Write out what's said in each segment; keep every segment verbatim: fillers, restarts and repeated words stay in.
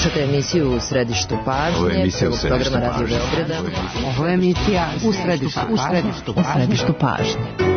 Slušate emisiju U središtu pažnje, prvog programa Radio Beograda. Ovo je emisija U središtu pažnje. U središtu pažnje.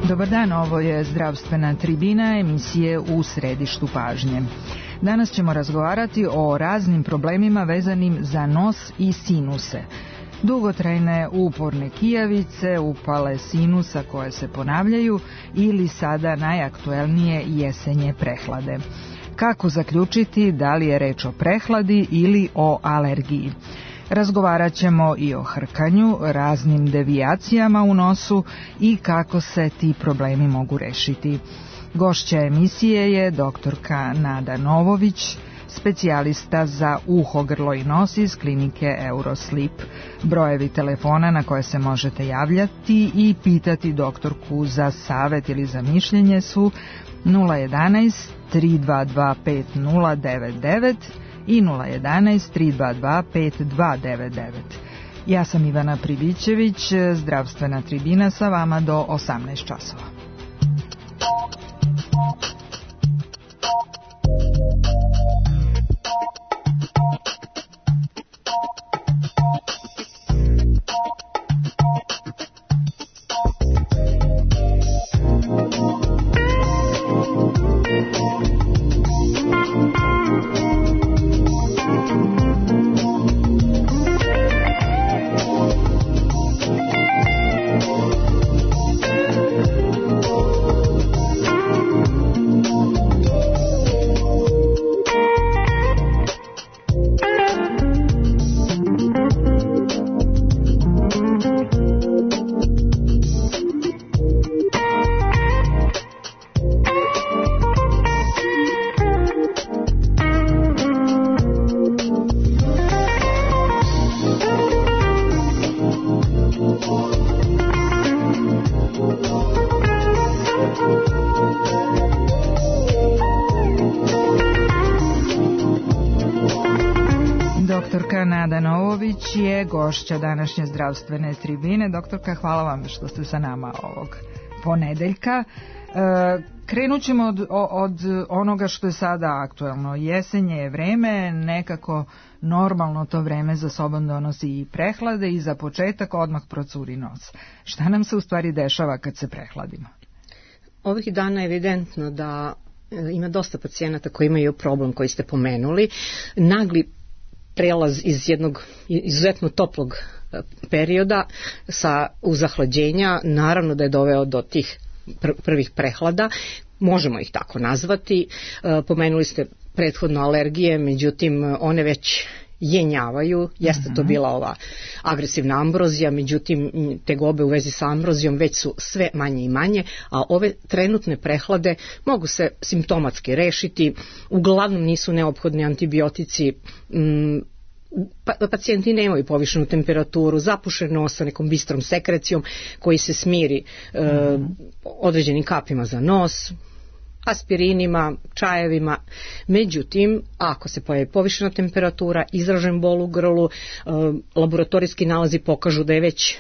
Dobar dan, ovo je zdravstvena tribina emisije U središtu pažnje. Danas ćemo razgovarati o raznim problemima vezanim za nos i sinuse. Dugotrajne uporne kijavice, upale sinusa koje se ponavljaju ili sada najaktuelnije jesenje prehlade. Kako zaključiti da li je reč o prehladi ili o alergiji? Razgovarat ćemo i o hrkanju, raznim devijacijama u nosu i kako se ti problemi mogu rešiti. Gošća emisije je doktorka Nada Novović, specijalista za uho, grlo i nos iz klinike Euroslip. Brojevi telefona na koje se možete javljati i pitati doktorku za savet ili za mišljenje su nula jedanaest tri dva dva pet nula devet devet i nula jedanaest tri dva dva pet dva devet devet. Ja sam Ivana Pribićević, zdravstvena tribina sa vama do osamnaest časova. Nada Novović je gošća današnje zdravstvene tribine. Doktorka, hvala vam što ste sa nama ovog ponedeljka. E, krenut ćemo od, od onoga što je sada aktuelno. Jesenje je vreme, nekako normalno to vreme za sobom donosi i prehlade i za početak odmah procuri nos. Šta nam se u stvari dešava kad se prehladimo? Ovih dana je evidentno da ima dosta pacijenata koji imaju problem koji ste pomenuli. Nagli prelaz iz jednog izuzetno toplog perioda sa uzahlađenja, naravno da je doveo do tih pr- prvih prehlada, možemo ih tako nazvati. E, pomenuli ste prethodno alergije, međutim one već jenjavaju, jeste to bila ova agresivna ambrozija, međutim tegobe u vezi sa ambrozijom već su sve manje i manje, a ove trenutne prehlade mogu se simptomatski rešiti, uglavnom nisu neophodni antibiotici, m, pa, pacijenti nemaju povišenu temperaturu, zapušen nos sa nekom bistrom sekrecijom koji se smiri e, određenim kapima za nos, aspirinima, čajevima. Međutim, ako se pojavi povišena temperatura, izražen bol u grlu, e, laboratorijski nalazi pokažu da je već e,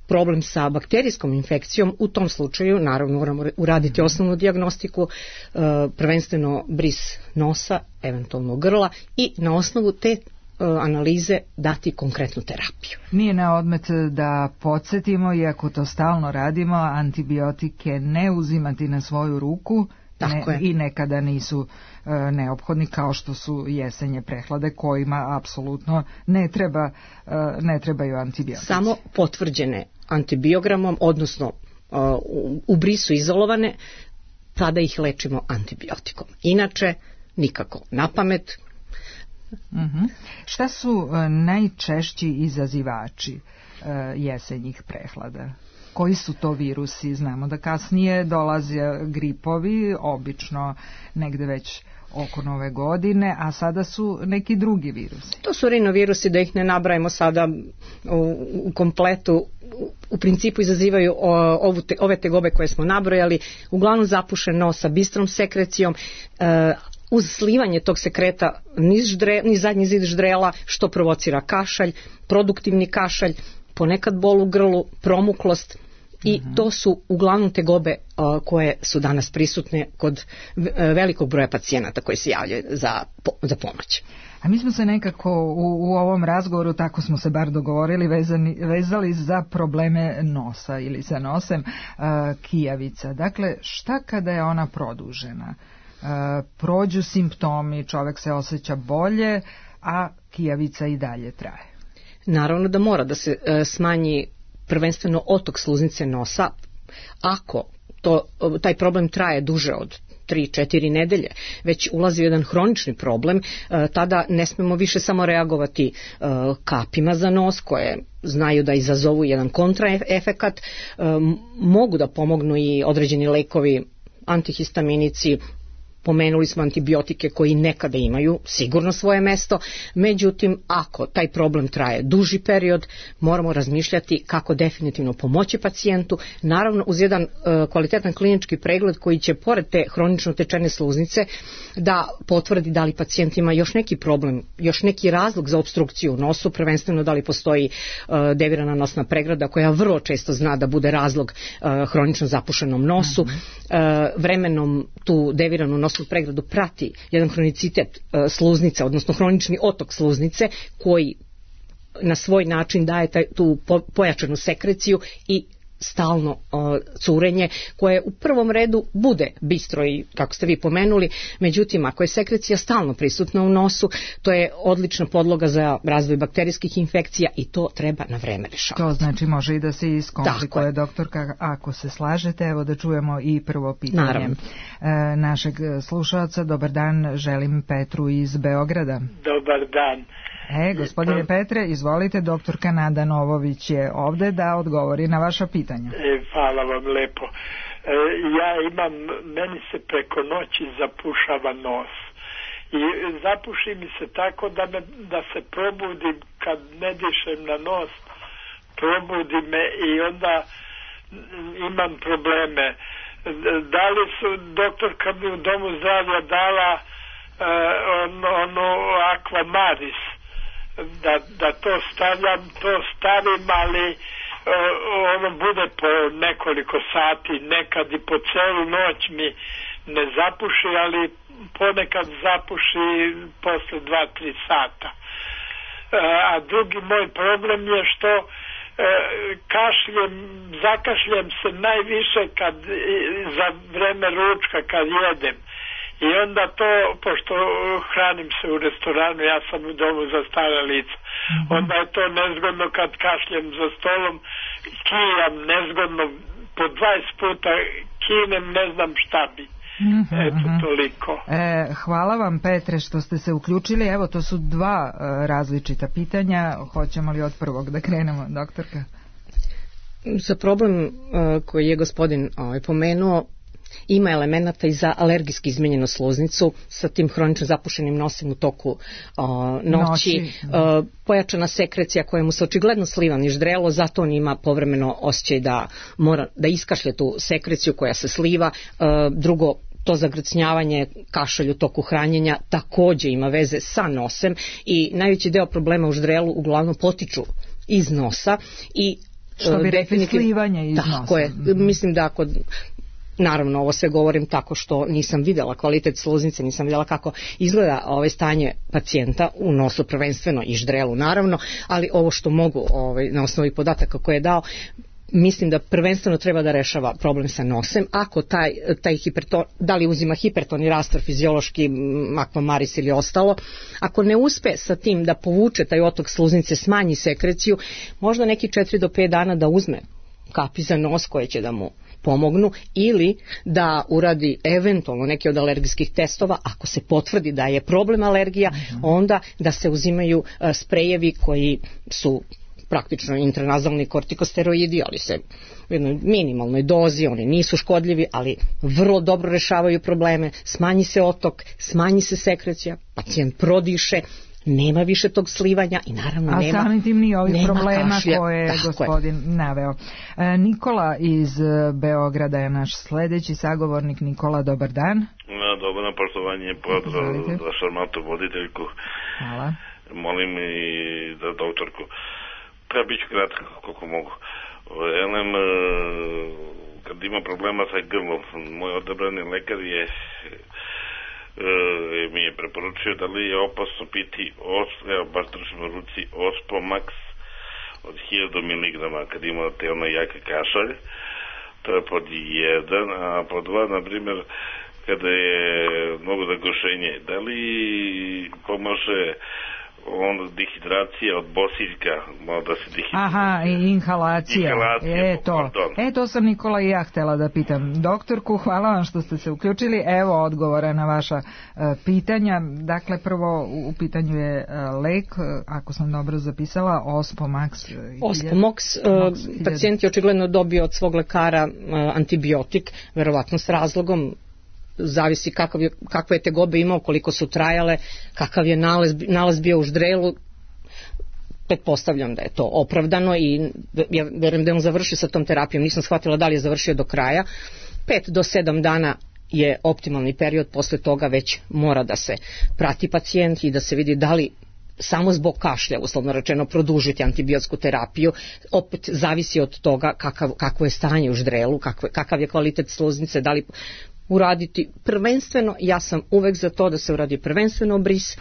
problem sa bakterijskom infekcijom, u tom slučaju naravno moramo uraditi osnovnu dijagnostiku, e, prvenstveno bris nosa, eventualno grla i na osnovu te analize dati konkretnu terapiju. Nije na odmet da podsjetimo, iako to stalno radimo, antibiotike ne uzimati na svoju ruku ne, i nekada nisu e, neophodni, kao što su jesenje prehlade kojima apsolutno ne, treba, e, ne trebaju antibiotici. Samo potvrđene antibiogramom, odnosno e, u, u brisu izolovane, tada ih lečimo antibiotikom. Inače, nikako na pamet. Uh-huh. Šta su uh, najčešći izazivači uh, jesenjih prehlada? Koji su to virusi? Znamo da kasnije dolaze gripovi, obično negde već oko nove godine, a sada su neki drugi virusi. To su rinovirusi, da ih ne nabrajamo sada u, u kompletu, u principu izazivaju ovu te, ove tegobe koje smo nabrojali, uglavnom zapušen nos sa bistrom sekrecijom, e, uz slivanje tog sekreta niz, ždre, niz zadnji zid ždrela, što provocira kašalj, produktivni kašalj, ponekad bol u grlu, promuklost, i to su uglavnom tegobe uh, koje su danas prisutne kod velikog broja pacijenata koji se javljaju za, za pomoć. A mi smo se nekako u, u ovom razgovoru, tako smo se bar dogovorili, vezani, vezali za probleme nosa ili sa nosem uh, kijavica. Dakle, šta kada je ona produžena? Uh, prođu simptomi, čovek se osjeća bolje, a kijavica i dalje traje. Naravno da mora da se uh, smanji prvenstveno otok sluznice nosa. Ako to, taj problem traje duže od tri četiri nedelje, već ulazi u jedan hronični problem, tada ne smemo više samo reagovati kapima za nos koje znaju da izazovu jedan kontraefekat, mogu da pomognu i određeni lekovi, antihistaminici, pomenuli smo antibiotike koji nekada imaju sigurno svoje mesto, međutim ako taj problem traje duži period, moramo razmišljati kako definitivno pomoći pacijentu, naravno uz jedan uh, kvalitetan klinički pregled koji će pored te hronično tečene sluznice da potvrdi da li pacijent ima još neki problem, još neki razlog za opstrukciju u nosu, prvenstveno da li postoji uh, devirana nosna pregrada koja vrlo često zna da bude razlog uh, hronično zapušenom nosu, mm-hmm. uh, vremenom tu deviranu nosnu pregradu prati jedan hronicitet uh, sluznice, odnosno hronični otok sluznice koji na svoj način daje taj, tu po, pojačanu sekreciju i stalno uh, curenje koje u prvom redu bude bistro i kako ste vi pomenuli, međutim ako je sekrecija stalno prisutna u nosu, to je odlična podloga za razvoj bakterijskih infekcija i to treba na vreme rešavati. To znači može i da se iskomplikuje, doktorka, ako se slažete. Evo da čujemo i prvo pitanje e, našeg slušalca. Dobar dan, želim Petru iz Beograda. Dobar dan. E, gospodine Petre, izvolite, doktorka Nada Novović je ovde da odgovori na vaša pitanja. E, hvala vam lepo. E, ja imam, meni se preko noći zapušava nos. I zapuši mi se tako da, me, da se probudim kad ne dišem na nos, probudi me i onda imam probleme. Da li su, doktorka mi u domu zdravlja dala e, ono, ono Aquamaris, da, da to stavljam, to stavim, ali uh, ono bude po nekoliko sati, nekad i po celu noć mi ne zapuši, ali ponekad zapuši posle dva tri sata. Uh, a drugi moj problem je što uh, kašljem, zakašljem se najviše kad, za vreme ručka kad jedem. I onda to, pošto hranim se u restoranu, ja sam u domu za stara lica, mm-hmm. onda je to nezgodno kad kašljem za stolom, kijam nezgodno, po dvadeset puta kinem, ne znam šta bi. Mm-hmm. Eto, toliko. E, hvala vam, Petre, što ste se uključili. Evo, to su dva e, različita pitanja. Hoćemo li od prvog da krenemo, doktorka? Za problem e, koji je gospodin ovaj, pomenuo, ima elemenata i za alergijski izmenjenu sluznicu sa tim hronično zapušenim nosem u toku o, noći, noći. O, pojačana sekrecija koja mu se očigledno sliva niž ždrelo, zato on ima povremeno osjećaj da mora da iskašlje tu sekreciju koja se sliva. O, drugo, to zagrcnjavanje, kašalj u toku hranjenja takođe ima veze sa nosem i najveći deo problema u ždrelu uglavnom potiču iz nosa i što bi rekli slivanje iz nosa. Tako je, mislim da ako naravno, ovo sve govorim tako što nisam videla kvalitet sluznice, nisam videla kako izgleda ovaj stanje pacijenta u nosu prvenstveno i ždrelu naravno, ali ovo što mogu ovaj, na osnovi podataka koje je dao, mislim da prvenstveno treba da rešava problem sa nosem. Ako taj, taj hiperton, da li uzima hiperton i rastor fiziološki, Aquamaris ili ostalo, ako ne uspe sa tim da povuče taj otok sluznice, smanji sekreciju, možda neki četiri do pet dana da uzme kapi za nos koje će da mu pomognu ili da uradi eventualno neki od alergijskih testova, ako se potvrdi da je problem alergija, mm-hmm. onda da se uzimaju uh, sprejevi koji su praktično intranazalni kortikosteroidi, ali se u jednoj minimalnoj dozi, oni nisu škodljivi, ali vrlo dobro rešavaju probleme, smanji se otok, smanji se sekrecija, pacijent prodiše, nema više tog slivanja i naravno a nema, a samim tim ni ovih problema kašlja. koje je Tako gospodin je. naveo. E, Nikola iz Beograda je naš sledeći sagovornik. Nikola, dobar dan. Na, dobro, na poštovanje, pozdrav za šarmantnu voditeljku. Hvala. Molim i za doktorku. Treba biti kratko, koliko mogu. Elem, kad ima problema sa grlom, moj odabrani lekar je E, mi je preporučio da li je opasno piti os, evo baš držim u ruci Ospomax od hiljadu miligrama kad ima te ono jake kašalj. To je pod jedan, a pod dva, na primjer, kada je mnogo zagušenje, da li pomaže onda dehidracija od bosiljka, da se dehidracija. Aha, i inhalacija. Inhalacija, e, to. e, to sam Nikola i ja htela da pitam doktorku. Hvala vam što ste se uključili. Evo odgovora na vaša uh, pitanja. Dakle, prvo u pitanju je uh, lek, ako sam dobro zapisala, Ospomax. Ospomax, uh, pacijent je očigledno dobio od svog lekara uh, antibiotik, verovatno s razlogom, zavisi kakav je, kakve je tegobe imao, koliko su trajale, kakav je nalaz, nalaz bio u ždrelu. Pretpostavljam da je to opravdano i ja verujem da je on završio sa tom terapijom, nisam shvatila da li je završio do kraja. Pet do sedam dana je optimalni period, posle toga već mora da se prati pacijent i da se vidi da li samo zbog kašlja, uslovno rečeno, produžiti antibiotsku terapiju. Opet zavisi od toga kakav, kakvo je stanje u ždrelu, kakav, kakav je kvalitet sluznice, da li uraditi prvenstveno, ja sam uvek za to da se uradi prvenstveno bris.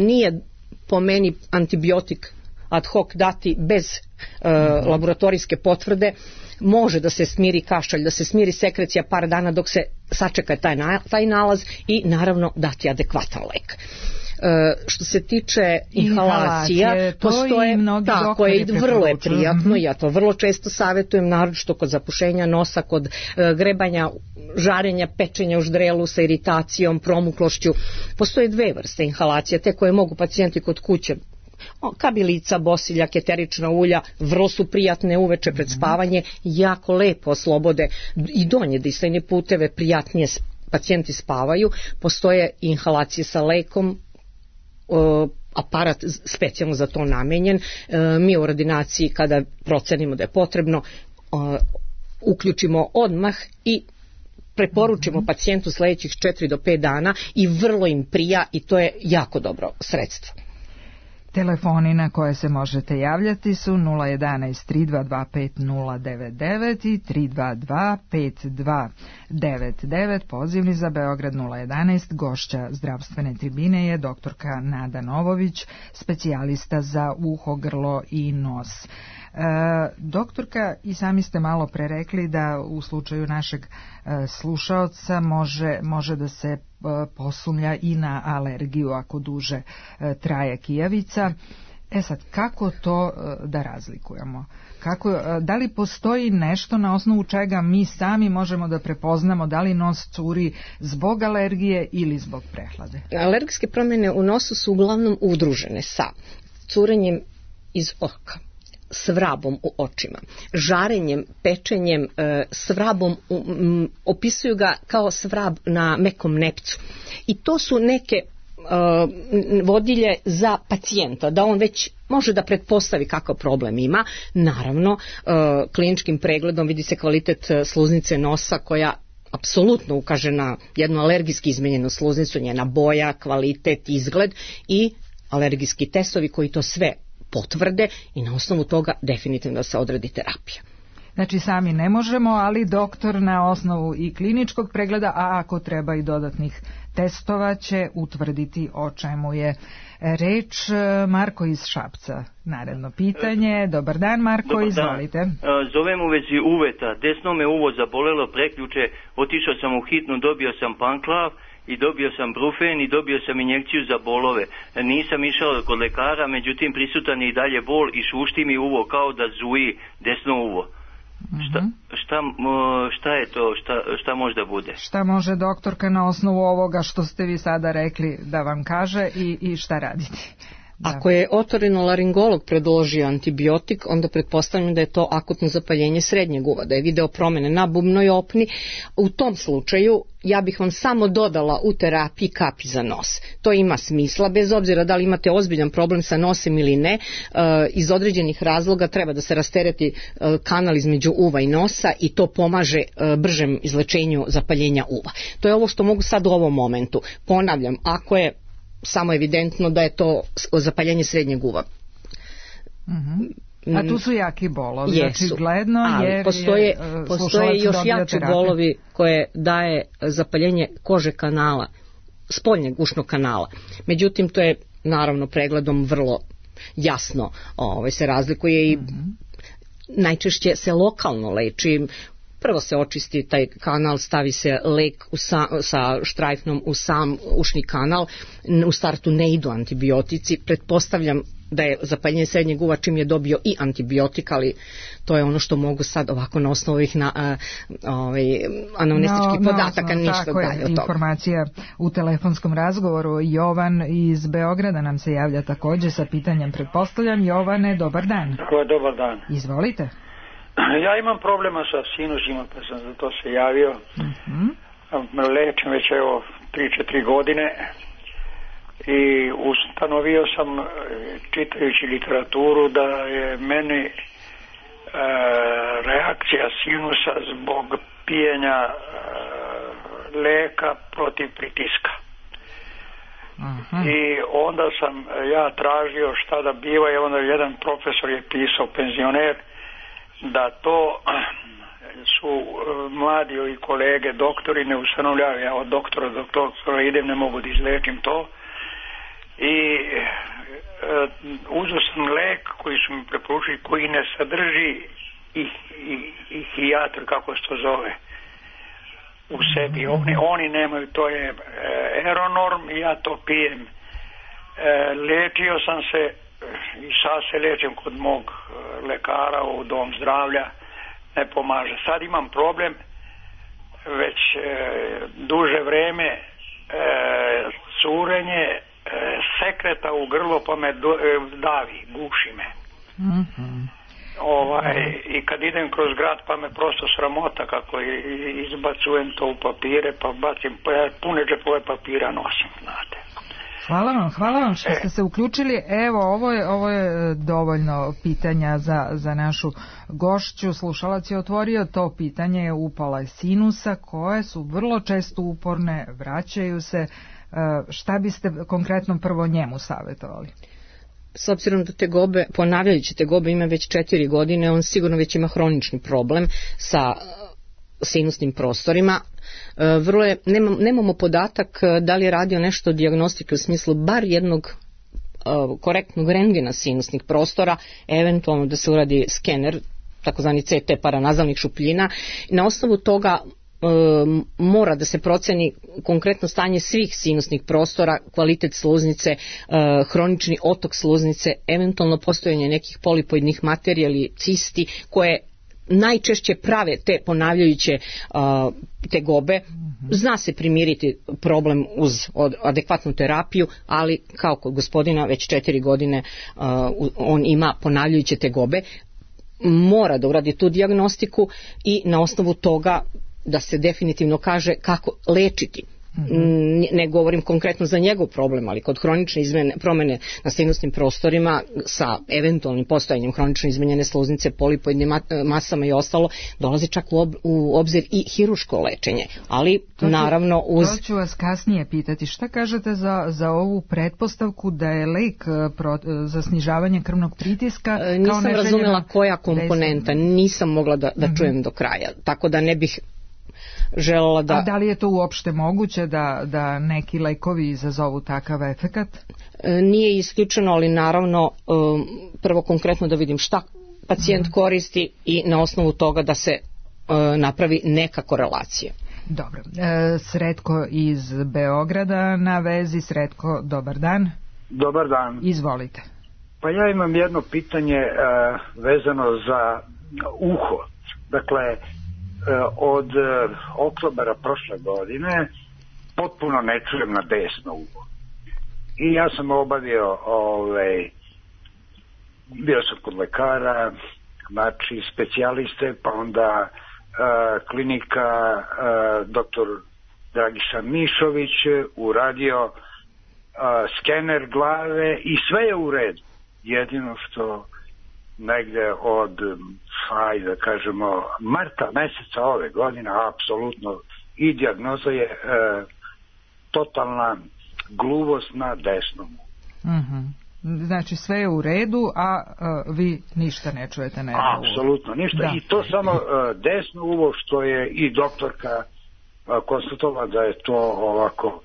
Nije po meni antibiotik ad hoc dati bez e, laboratorijske potvrde. Može da se smiri kašalj, da se smiri sekrecija par dana dok se sačeka taj, na, taj nalaz i naravno dati adekvatan lek. E, što se tiče inhalacija, postoje, tako je, vrlo je prijatno, mm-hmm. ja to vrlo često savjetujem, naročito kod zapušenja nosa, kod e, grebanja, žarenja, pečenja u ždrelu sa iritacijom, promuklošću. Postoje dve vrste inhalacija, te koje mogu pacijenti kod kuće, kabilica, bosiljak, eterična ulja, vrlo su prijatne uveče pred spavanje, jako lepo oslobode i donje disajne puteve, prijatnije pacijenti spavaju. Postoje inhalacije sa lekom, aparat specijalno za to namenjen. Mi u ordinaciji kada procenimo da je potrebno uključimo odmah i preporučimo mm-hmm. pacijentu sledećih četiri do pet dana i vrlo im prija i to je jako dobro sredstvo. Telefoni na koje se možete javljati su nula jedanaest tri dva dva pet nula devet devet i tri dva dva pet dva devet devet. Pozivni za Beograd nula jedanaest. Gošća zdravstvene tribine je doktorka Nada Novović, specijalista za uho, grlo i nos. E, doktorka, i sami ste malo pre rekli da u slučaju našeg e, slušaoca može, može da se e, posumlja i na alergiju ako duže e, traje kijavica. E sad, kako to e, da razlikujemo? Kako, e, da li postoji nešto na osnovu čega mi sami možemo da prepoznamo da li nos curi zbog alergije ili zbog prehlade? Alergijske promjene u nosu su uglavnom udružene sa curenjem iz oka, svrabom u očima, žarenjem, pečenjem, svrabom, opisuju ga kao svrab na mekom nepcu. I to su neke vodilje za pacijenta, da on već može da pretpostavi kakav problem ima. Naravno, kliničkim pregledom vidi se kvalitet sluznice nosa koja apsolutno ukaže na jednu alergijski izmenjenu sluznicu, njena boja, kvalitet, izgled i alergijski testovi koji to sve potvrde i na osnovu toga definitivno da se odredi terapija. Znači sami ne možemo, ali doktor na osnovu i kliničkog pregleda, a ako treba i dodatnih testova, će utvrditi o čemu je reč. Marko iz Šapca, naredno pitanje. Dobar dan, Marko, Dobar izvolite. Dan. Zovem u vezi uveta. Desno me uvo zabolelo preključe, otišao sam u hitnu, dobio sam panklav i dobio sam brufen i dobio sam injekciju za bolove. Nisam išao kod lekara, međutim prisutan je i dalje bol i šušti mi uvo kao da zuji desno uvo. Šta, šta, šta je to, šta, šta može da bude? Šta može doktorka na osnovu ovoga što ste vi sada rekli da vam kaže i, i šta raditi? Da. Ako je otorinolaringolog predložio antibiotik, onda pretpostavljam da je to akutno zapaljenje srednjeg uva, da je video promene na bubnoj opni. U tom slučaju ja bih vam samo dodala u terapiji kapi za nos. To ima smisla, bez obzira da li imate ozbiljan problem sa nosem ili ne, iz određenih razloga treba da se rastereti kanal između uva i nosa i to pomaže bržem izlečenju zapaljenja uva. To je ovo što mogu sad u ovom momentu. Ponavljam, ako je samo evidentno da je to zapaljenje srednjeg uva. Uh-huh. A tu su jaki bolovi, jesu, očigledno, ali jer postoje, je, postoje još jači bolovi koje daje zapaljenje kože kanala, spoljnjeg ušnog kanala. Međutim, to je naravno pregledom vrlo jasno ovaj, se razlikuje i uh-huh. najčešće se lokalno leči. Prvo se očisti taj kanal, stavi se lek u sa, sa štrajfnom u sam ušni kanal, u startu ne idu antibiotici, pretpostavljam da je zapaljenje srednjeg uva čim je dobio i antibiotik, ali to je ono što mogu sad ovako na osnovu ovih na, a, ovaj, anamnestičkih no, podataka, no, ništa dalje od toga. Informacija u telefonskom razgovoru. Jovan iz Beograda nam se javlja također sa pitanjem, pretpostavljam. Jovane, dobar dan. Dobar dan. Izvolite. Ja imam problema sa sinusima, pa sam za to se javio. Uh-huh. Lečim već evo tri četiri godine i ustanovio sam, čitajući literaturu, da je meni e, reakcija sinusa zbog pijenja e, leka protiv pritiska. Uh-huh. I onda sam ja tražio šta da biva i onda jedan profesor je pisao, penzioner, da to su mladi i kolege doktori ne ustanovljaju. Ja od doktora do doktora idem, ne mogu da izlečim to i e, uzeo sam lek koji su mi preporučili, koji ne sadrži i, i, i hijatr, kako se to zove, u sebi. Oni, oni nemaju, to je e, Eronorm i ja to pijem. E, lečio sam se i sad se lečim kod mog lekara u dom zdravlja, ne pomaže. Sad imam problem već e, duže vreme, e, curenje e, sekreta u grlo, pa me do, e, davi, guši me. Mm-hmm. Ovaj, i kad idem kroz grad pa me prosto sramota kako izbacujem to u papire, pa bacim pune džepove papira nosim, znate. Hvala vam, hvala vam što ste se uključili. Evo, ovo je, ovo je dovoljno pitanja za, za našu gošću. Slušalac je otvorio to pitanje, upala sinusa, koje su vrlo često uporne, vraćaju se. Šta biste konkretno prvo njemu savjetovali? S obzirom da tegobe, ponavljajući tegobe ima već četiri godine, on sigurno već ima hronični problem sa sinusnim prostorima. Vrlo je, nemam, nemamo podatak da li je radio nešto dijagnostike u smislu bar jednog uh, korektnog rentgena sinusnih prostora, eventualno da se uradi skener, takozvani C T paranazalnih šupljina. Na osnovu toga uh, mora da se proceni konkretno stanje svih sinusnih prostora, kvalitet sluznice, uh, hronični otok sluznice, eventualno postojanje nekih polipoidnih materija ili cisti koje najčešće prave te ponavljajuće uh, tegobe. Zna se primiriti problem uz adekvatnu terapiju, ali kao kod gospodina već četiri godine uh, on ima ponavljajuće tegobe, mora da uradi tu dijagnostiku i na osnovu toga da se definitivno kaže kako lečiti. Mm-hmm. Ne govorim konkretno za njegov problem, ali kod hronične izmene, promene na sinusnim prostorima sa eventualnim postojanjem hronično izmenjene sluznice, polipoidnim masama i ostalo, dolazi čak u, ob, u obzir i hiruško lečenje, ali to ću, naravno uz... To ću vas kasnije pitati. Šta kažete za, za ovu pretpostavku da je lek pro, za snižavanje krvnog pritiska? E, nisam kao razumela koja komponenta, nisam mogla da, da mm-hmm. čujem do kraja, tako da ne bih želela da... A da li je to uopšte moguće da, da neki lekovi izazovu takav efekat? Nije isključeno, ali naravno prvo konkretno da vidim šta pacijent koristi i na osnovu toga da se napravi neka korelacija. Dobro. E, Sretko iz Beograda na vezi. Sretko, dobar dan. Dobar dan. Izvolite. Pa ja imam jedno pitanje e, vezano za uho. Dakle, od oktobera prošle godine potpuno ne čujem na desno uho. i ja sam obavio ovaj, bio sam kod lekara, znači specijaliste, pa onda uh, klinika uh, doktor Dragiša Mišović uradio uh, skener glave i sve je u redu. Jedino što negde od, hajde da kažemo, marta meseca ove godine, apsolutno, i dijagnoza je uh, totalna gluvost na desnom. Mhm. Znači sve je u redu, a uh, vi ništa ne čujete na jedno uvo. Apsolutno ništa. Da. I to samo uh, desno uvo, što je i doktorka uh, konstatovala da je to ovako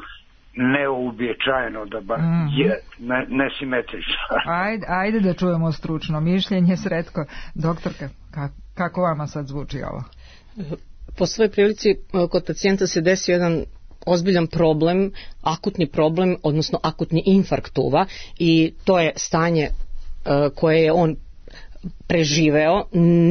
neuobičajeno, da ba mm-hmm. je ne, nesimetrično. ajde, ajde da čujemo stručno mišljenje. Sretko, doktorka, kako, kako vama sad zvuči ovo? Po svojoj prilici kod pacijenta se desio jedan ozbiljan problem, akutni problem, odnosno akutni infarkt uva, i to je stanje uh, koje je on preživeo,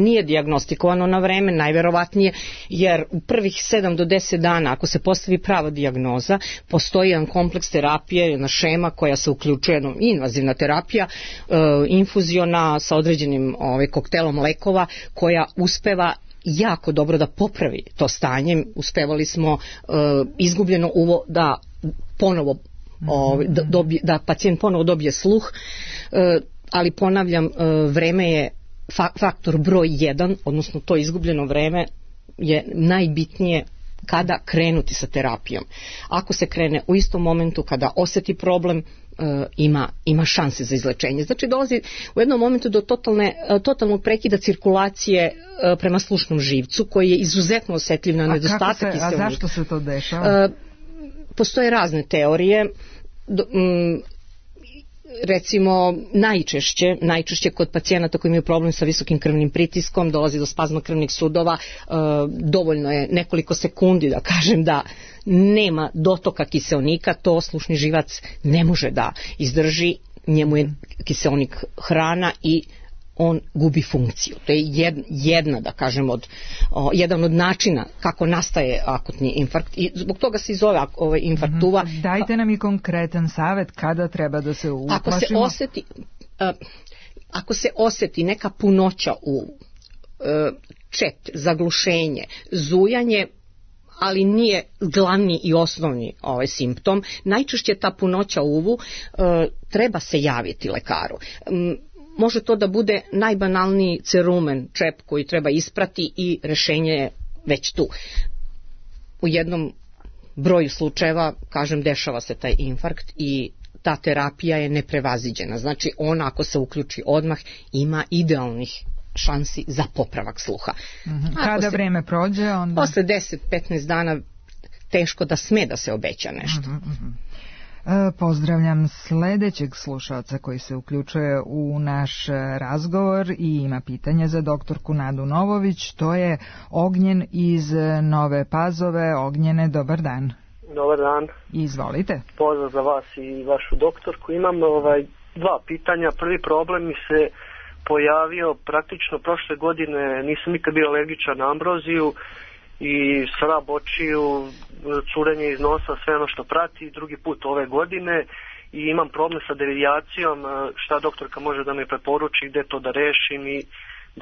nije dijagnostikovano na vreme, najverovatnije, jer u prvih sedam do deset dana, ako se postavi prava dijagnoza, postoji jedan kompleks terapije, jedna šema koja se uključuje, jedna invazivna terapija, uh, infuziona sa određenim ovaj, koktelom lekova, koja uspeva jako dobro da popravi to stanje. Uspevali smo uh, izgubljeno uvo da ponovo uh, da, dobije, da pacijent ponovo dobije sluh, uh, ali ponavljam, uh, vreme je fa- faktor broj jedan, odnosno to izgubljeno vreme je najbitnije kada krenuti sa terapijom. Ako se krene u istom momentu kada osjeti problem, ima, ima šanse za izlečenje. Znači dolazi u jednom momentu do totalne, totalnog prekida cirkulacije prema slušnom živcu, koji je izuzetno osjetljiv na nedostatak kiseonika. A zašto se to dešava? Postoje razne teorije. Recimo najčešće, najčešće kod pacijenata koji imaju problem sa visokim krvnim pritiskom, dolazi do spazma krvnih sudova, e, dovoljno je nekoliko sekundi da kažem da nema dotoka kiseonika, to slušni živac ne može da izdrži, njemu je kiseonik hrana i on gubi funkciju. To je jedna, jedna da kažem, od, o, jedan od načina kako nastaje akutni infarkt i zbog toga se i zove ovaj infarkt uva. Mm-hmm. Dajte nam i konkretan savjet kada treba da se uplašimo. Ako se osjeti, uh, ako se osjeti neka punoća u uh, čep, zaglušenje, zujanje, ali nije glavni i osnovni ovaj simptom, najčešće ta punoća u uvu, uh, treba se javiti lekaru. Um, Može to da bude najbanalniji cerumen, čep koji treba isprati i rešenje je već tu. U jednom broju slučajeva, kažem, dešava se taj infarkt i ta terapija je neprevaziđena. Znači ona, ako se uključi odmah, ima idealnih šansi za popravak sluha. Mm-hmm. Kada se, vreme prođe, onda... Posle deset do petnaest dana teško da sme da se obeća nešto. Mm-hmm. Pozdravljam sledećeg slušalca koji se uključuje u naš razgovor i ima pitanje za doktorku Nadu Novović. To je Ognjen iz Nove Pazove. Ognjene, dobar dan. Dobar dan. Izvolite. Pozdrav za vas i vašu doktorku. Imam ovaj, dva pitanja. Prvi problem mi se pojavio praktično prošle godine. Nisam nikad bio alergičan na ambroziju i srab očiju, curenje iz nosa, sve ono što prati, drugi put ove godine, i imam problem sa devijacijom. Šta doktorka može da me preporuči, gde to da rešim i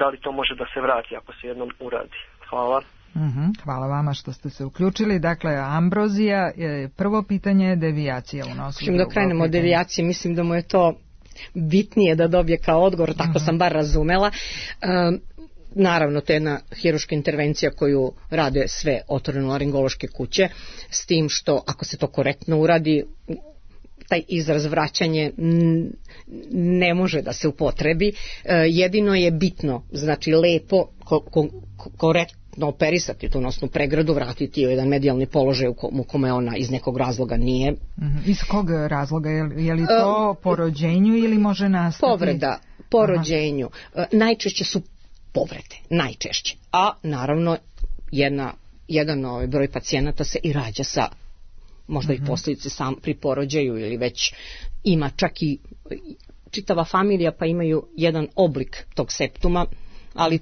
da li to može da se vrati ako se jednom uradi? Hvala. Mm-hmm. Hvala vama što ste se uključili. Dakle, ambrozija, prvo pitanje je devijacija u nosu. Čim da krenemo od devijacije, mislim da mu je to bitnije da dobije kao odgovor, tako mm-hmm. sam bar razumela. Um, Naravno, to je jedna hiruška intervencija koju rade sve otorinolaringološke kuće, s tim što ako se to korektno uradi, taj izraz vraćanje ne može da se upotrebi. Jedino je bitno, znači lepo, ko, ko, korektno operisati tu nosnu pregradu, vratiti u jedan medijalni položaj u kome ona iz nekog razloga nije. Iz kog razloga? Je li to po rođenju ili može nastati? Povreda po rođenju. Najčešće su povrede, najčešće. A naravno jedna, jedan ovaj broj pacijenata se i rađa sa možda mm-hmm. i posljedice sam pri porođaju ili već ima čak i čitava familija pa imaju jedan oblik tog septuma, ali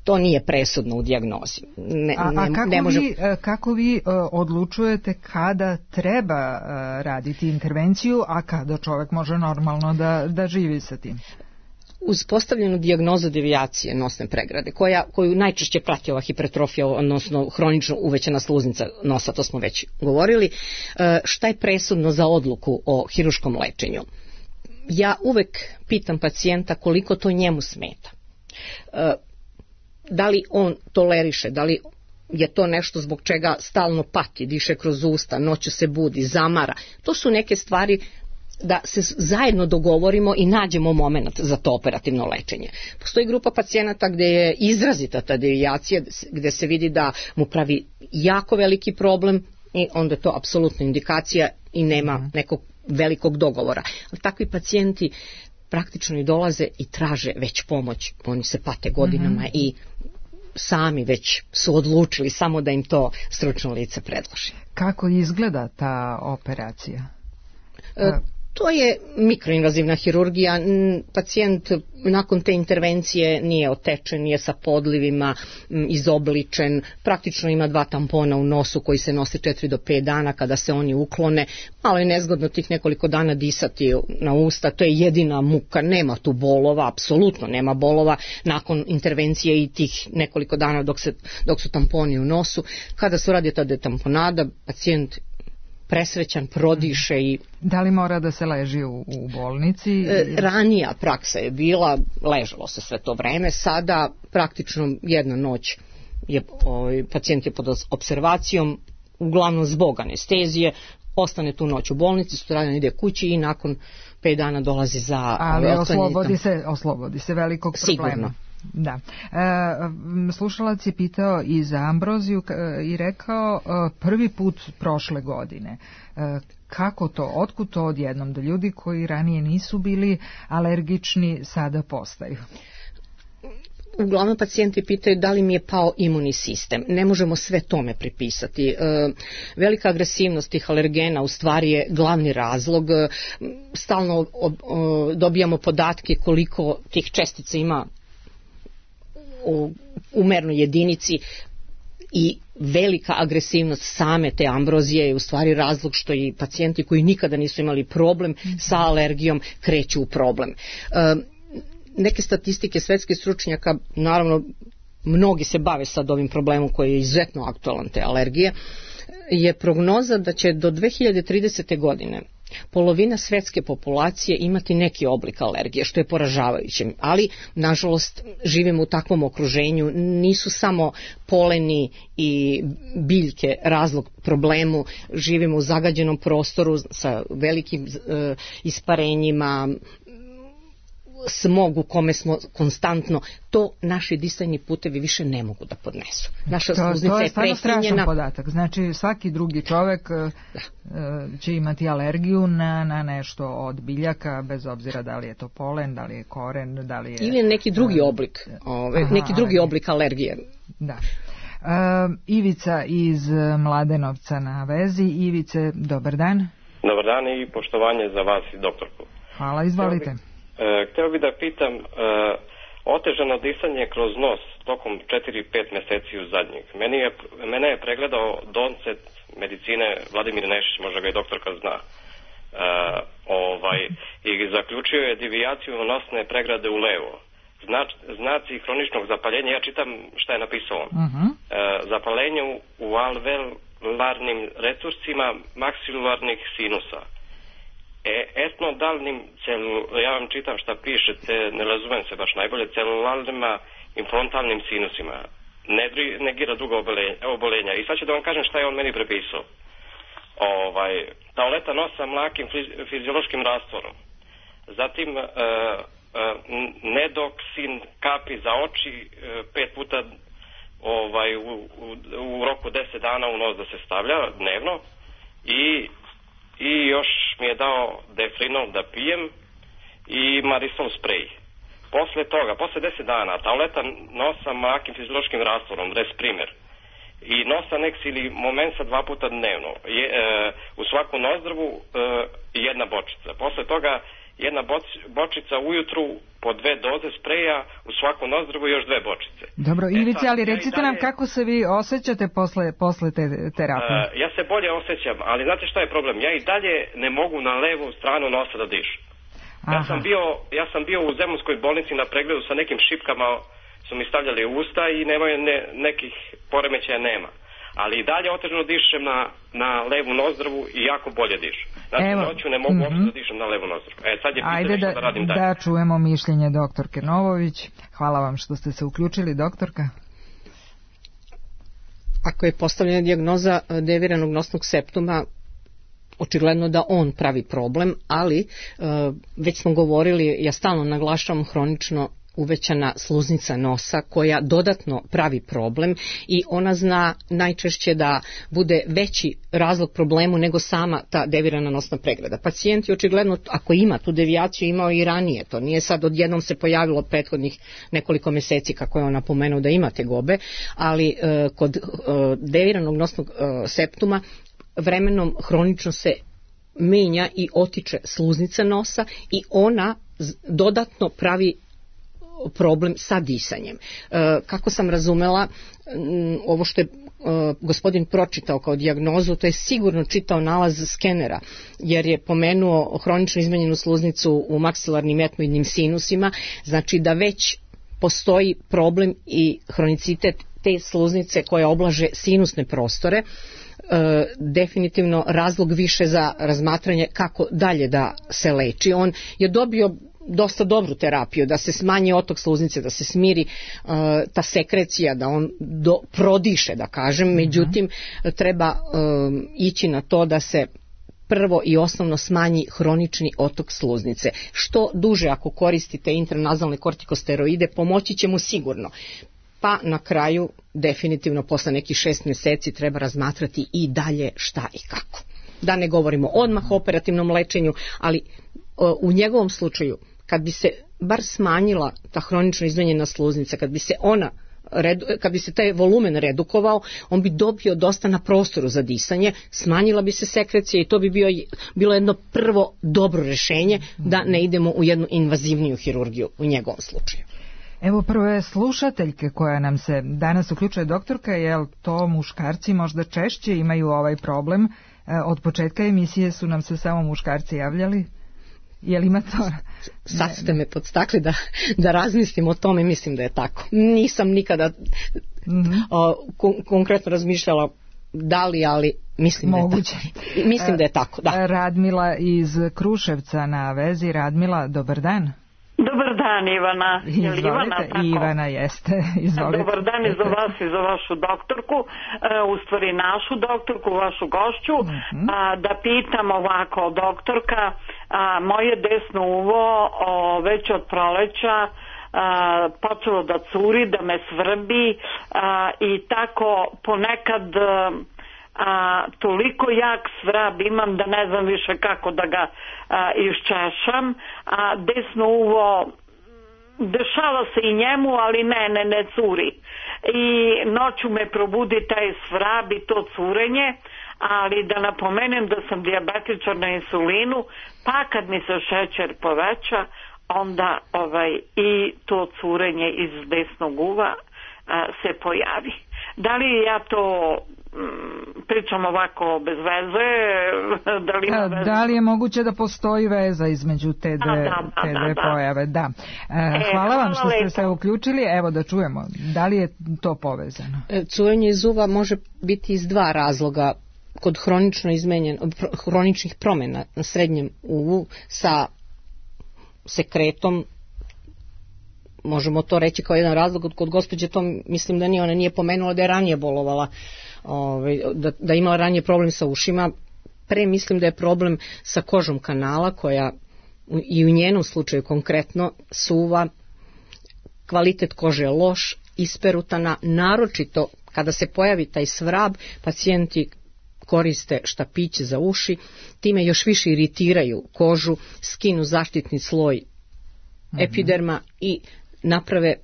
to nije presudno u dijagnozi. Ne, a, a ne, kako, ne može... vi, kako vi uh, odlučujete kada treba uh, raditi intervenciju, a kada čovjek može normalno da, da živi sa tim? Uz postavljenu dijagnozu devijacije nosne pregrade, koja, koju najčešće prati ova hipertrofija, odnosno hronično uvećana sluznica nosa, to smo već govorili, šta je presudno za odluku o hiruškom lečenju? Ja uvek pitam pacijenta koliko to njemu smeta. Da li on toleriše, da li je to nešto zbog čega stalno pati, diše kroz usta, noću se budi, zamara. To su neke stvari da se zajedno dogovorimo i nađemo moment za to operativno lečenje. Postoji grupa pacijenata gdje je izrazita ta devijacija, gdje se vidi da mu pravi jako veliki problem i onda je to apsolutna indikacija i nema nekog velikog dogovora. Ali takvi pacijenti praktično i dolaze i traže već pomoć. Oni se pate godinama mm-hmm. i sami već su odlučili samo da im to stručno lice predloži. Kako izgleda ta operacija? E, To je mikroinvazivna hirurgija. Pacijent nakon te intervencije nije otečen, nije sa podlivima, izobličen, praktično ima dva tampona u nosu koji se nosi četiri do pet dana. Kada se oni uklone, malo je nezgodno tih nekoliko dana disati na usta, to je jedina muka, nema tu bolova, apsolutno nema bolova nakon intervencije i tih nekoliko dana dok, se, dok su tamponi u nosu. Kada se radi ta detamponada, pacijent presrećan, prodiše i... Da li mora da se leži u, u bolnici? E, ranija praksa je bila, ležalo se sve to vreme, sada praktično jedna noć je, ovaj, pacijent je pod observacijom, uglavnom zbog anestezije, ostane tu noć u bolnici, sutradan ide kući i nakon pet dana dolazi za... Ali oslobodi se, oslobodi se velikog problema. Sigurno. Da. E, slušalac je pitao i za ambroziju i rekao prvi put prošle godine. E, kako to, otkud to odjednom da ljudi koji ranije nisu bili alergični sada postaju? Uglavnom pacijenti pitaju da li mi je pao imunni sistem. Ne možemo sve tome pripisati. E, velika agresivnost tih alergena u stvari je glavni razlog. E, stalno o, o, dobijamo podatke koliko tih čestica ima u, u mernoj jedinici i velika agresivnost same te ambrozije je u stvari razlog što i pacijenti koji nikada nisu imali problem sa alergijom kreću u problem. E, neke statistike svetskih stručnjaka, naravno mnogi se bave sad ovim problemom koji je izuzetno aktualan, te alergije, je prognoza da će do dve hiljade tridesete. godine polovina svetske populacije imati neki oblik alergije, što je poražavajuće. Ali, nažalost, živimo u takvom okruženju, nisu samo poleni i biljke razlog problemu, živimo u zagađenom prostoru sa velikim e, isparenjima, smog u kome smo konstantno, to naši disajni putevi više ne mogu da podnesu. Naša sluznica je prefinjena. To je stvarno strašan podatak. Znači svaki drugi čovek da. će imati alergiju na, na nešto od biljaka, bez obzira da li je to polen, da li je koren, da li je... Ili neki drugi oblik, ove, Aha, neki drugi alergije. oblik alergije. Da. Uh, Ivica iz Mladenovca na vezi. Ivice, dobar dan. Dobar dan i poštovanje za vas i doktorku. Hvala, izvolite. Hteo bih da pitam, e, otežano disanje kroz nos tokom četiri do pet meseci u zadnjih. Meni je, mene je pregledao doncet medicine Vladimir Nešić, možda ga i doktorka zna. E, ovaj, I zaključio je devijaciju nosne pregrade u levo. Znač, znaci hroničnog zapaljenja, ja čitam šta je napisao on. Uh-huh. E, zapaljenje u, u alveolarnim resursima maksilarnih sinusa. E, etnodalnim celu, ja vam čitam šta pišete, ne razumem se baš najbolje, celularnima i frontalnim sinusima. Ne negira druga obolenja. I sad ću da vam kažem šta je on meni prepisao. Ovaj, tableta nosa mlakim fiziološkim rastvorom. Zatim e, e, nedoksin kapi za oči e, pet puta ovaj, u, u, u roku deset dana u nos da se stavlja dnevno i i još mi je dao defrinol da pijem i marisol sprej. Posle toga, posle deset dana, tableta nosa makim fiziološkim rastvorom, Resprimer, i nosa Nex ili Momensa dva puta dnevno, je, e, u svaku nozdrvu e, jedna bočica. Posle toga jedna bočica ujutru po dve doze spreja u svaku nozdrvu i još dve bočice. Dobro, Ivice, ali recite nam kako se vi osjećate posle, posle te terapije? Uh, ja se bolje osjećam, ali znate šta je problem? Ja i dalje ne mogu na levu stranu nosa da dišem. Ja sam, bio, ja sam bio u Zemunskoj bolnici na pregledu sa nekim šipkama, su mi stavljali u usta i nemaju ne, nekih poremećaja nema. Ali i dalje otežano dišem na, na levu nozdrvu i jako bolje dišem. Znači, Evo, noću ne mogu mm-hmm. da dišem na levu nozdrvu. E, sad je pitanje što da, da radim dalje. Da čujemo mišljenje doktorke Novović. Hvala vam što ste se uključili, doktorka. Ako je postavljena dijagnoza deviranog nosnog septuma, očigledno da on pravi problem, ali već smo govorili, ja stalno naglašavam hronično uvećana sluznica nosa koja dodatno pravi problem i ona zna najčešće da bude veći razlog problemu nego sama ta devirana nosna pregrada. Pacijent je očigledno, ako ima tu devijaciju, imao i ranije, to nije sad odjednom se pojavilo prethodnih nekoliko meseci kako je on napomenuo da ima tegobe, ali e, kod e, deviranog nosnog e, septuma vremenom hronično se menja i otiče sluznica nosa i ona dodatno pravi problem sa disanjem. E, kako sam razumela, ovo što je e, gospodin pročitao kao dijagnozu, to je sigurno čitao nalaz skenera, jer je pomenuo hronično izmenjenu sluznicu u maksilarnim etmoidnim sinusima, znači da već postoji problem i hronicitet te sluznice koje oblaže sinusne prostore, e, definitivno razlog više za razmatranje kako dalje da se leči. On je dobio dosta dobru terapiju, da se smanji otok sluznice, da se smiri uh, ta sekrecija, da on do, prodiše, da kažem, međutim treba um, ići na to da se prvo i osnovno smanji hronični otok sluznice. Što duže ako koristite intranazalne kortikosteroide, pomoći će mu sigurno. Pa na kraju, definitivno posle nekih šest mjeseci treba razmatrati i dalje šta i kako. Da ne govorimo odmah o operativnom lečenju, ali uh, u njegovom slučaju kad bi se bar smanjila ta hronično izmenjena sluznica, kad bi se ona kad bi se taj volumen redukovao, on bi dobio dosta na prostoru za disanje, smanjila bi se sekrecija i to bi bio, bilo jedno prvo dobro rešenje da ne idemo u jednu invazivniju hirurgiju u njegovom slučaju. Evo prve slušateljke koja nam se danas uključuje, doktorka, je li to muškarci možda češće imaju ovaj problem? Od početka emisije su nam se samo muškarci javljali. Je li ima to? Sad ste me podstakli da, da razmislim o tome, mislim da je tako. Nisam nikada mm-hmm. o, kon, konkretno razmišljala da li, ali mislim Moguće. da je tako. Mislim da je tako, da. Radmila iz Kruševca na vezi. Radmila, dobar dan. Dobar dan, Ivana. Izvolite, Ivana, Ivana jeste. Izvolite. Dobar dan i za vas i za vašu doktorku, u stvari našu doktorku, vašu gošću. Uh-huh. A, da pitam ovako, doktorka, a, moje desno uvo o, već od proleća a, počelo da curi, da me svrbi a, i tako ponekad a, toliko jak svrab imam da ne znam više kako da ga a, iščešam, a desno uvo dešava se i njemu, ali ne, ne, ne curi. I noću me probudi taj svrab i to curenje, ali da napomenem da sam dijabetičar na insulinu, pa kad mi se šećer poveća, onda ovaj, i to curenje iz desnog uva a, se pojavi. Da li ja to pričam ovako bez veze? Da li, da, veze? Da li je moguće da postoji veza između te dve, da, da, te dve da, pojave? Da. E, hvala, hvala vam što ste se uključili. Evo da čujemo. Da li je to povezano? Curenje iz uva može biti iz dva razloga. Kod hronično izmenjen, hroničnih promjena na srednjem uvu sa sekretom, možemo to reći kao jedan razlog. Kod gospođe to mislim da nije, ona nije pomenula da je ranije bolovala, ovaj, da, da imala ranije problem sa ušima. Pre mislim da je problem sa kožom kanala koja i u njenom slučaju konkretno suva, kvalitet kože je loš, isperutana, naročito kada se pojavi taj svrab, pacijenti koriste štapiće za uši, time još više iritiraju kožu, skinu zaštitni sloj mm-hmm. epiderma i naprave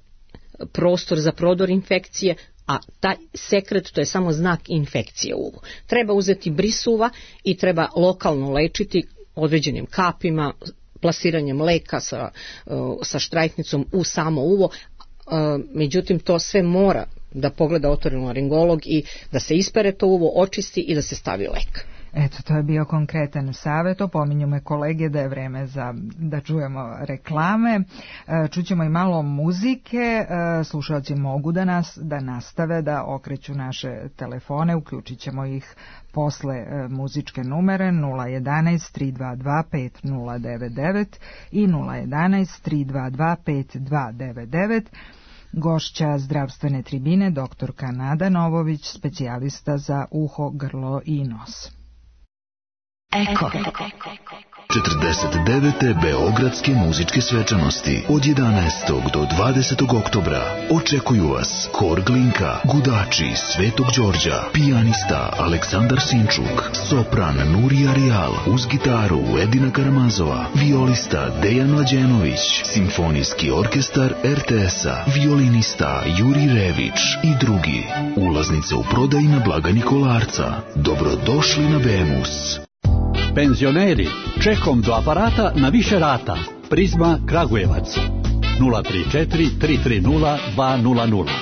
prostor za prodor infekcije, a taj sekret to je samo znak infekcije u uvu. Treba uzeti bris uva i treba lokalno lečiti određenim kapima, plasiranjem leka sa, sa štrajknicom u samo uvo, međutim to sve mora da pogleda otorinolaringolog i da se ispere to uvo, očisti i da se stavi lek. Eto, to je bio konkretan savjet. Opominju me kolege da je vreme za da čujemo reklame. Čućemo i malo muzike. Slušalci mogu da nas da nastave da okreću naše telefone. Uključit ćemo ih posle muzičke numere nula jedanaest tri dva dva pet nula devet devet i nula jedanaest tri dva dva pet dva devet devet. Gošća zdravstvene tribine doktorka Nada Novović, specijalista za uho, grlo i nos. Eko. četrdeset devete Beogradske muzičke svečanosti od jedanaestog do dvadesetog oktobra očekuju vas Hor Glinka, Gudači Svetog Đorđa, pijanista Aleksandar Sinčuk, sopran Nurija Rijal, uz gitaru Edina Karamazova, violista Dejan Mlađenović, simfonijski orkestar er te es-a, violinista Juri Rević i drugi. Ulaznice u prodaji na blagajni Kolarca. Dobrodošli na Bemus. Penzioneri, čekom do aparata na više rata. Prizma Kragujevac nula tri četiri tri tri nula dva nula nula.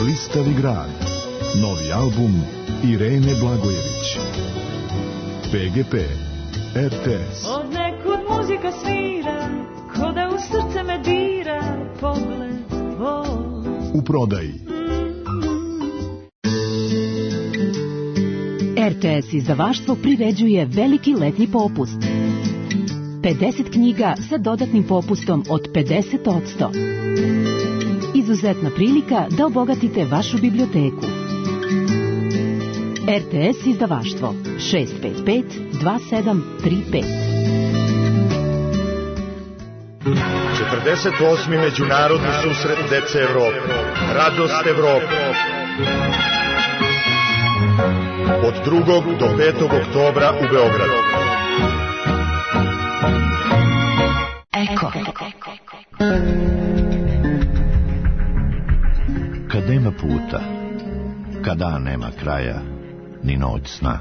Blistavi grad. Novi album Irene Blagojević. pe ge pe, er te es. Od nekud muzika svira, ko da u srce me dira pogled tvoj. U prodaji. er te es izdavaštvo priređuje veliki letnji popust. pedeset knjiga sa dodatnim popustom od pedeset posto. Izuzetna prilika da obogatite vašu biblioteku. er te es izdavaštvo šest pet pet dva sedam tri pet. četrdeset osmi Međunarodni susret dece Evrope. Radost Evrope. Od drugog do petog oktobra u Beogradu. Eko. Kad nema puta, kad dan nema kraja, ni noć sna,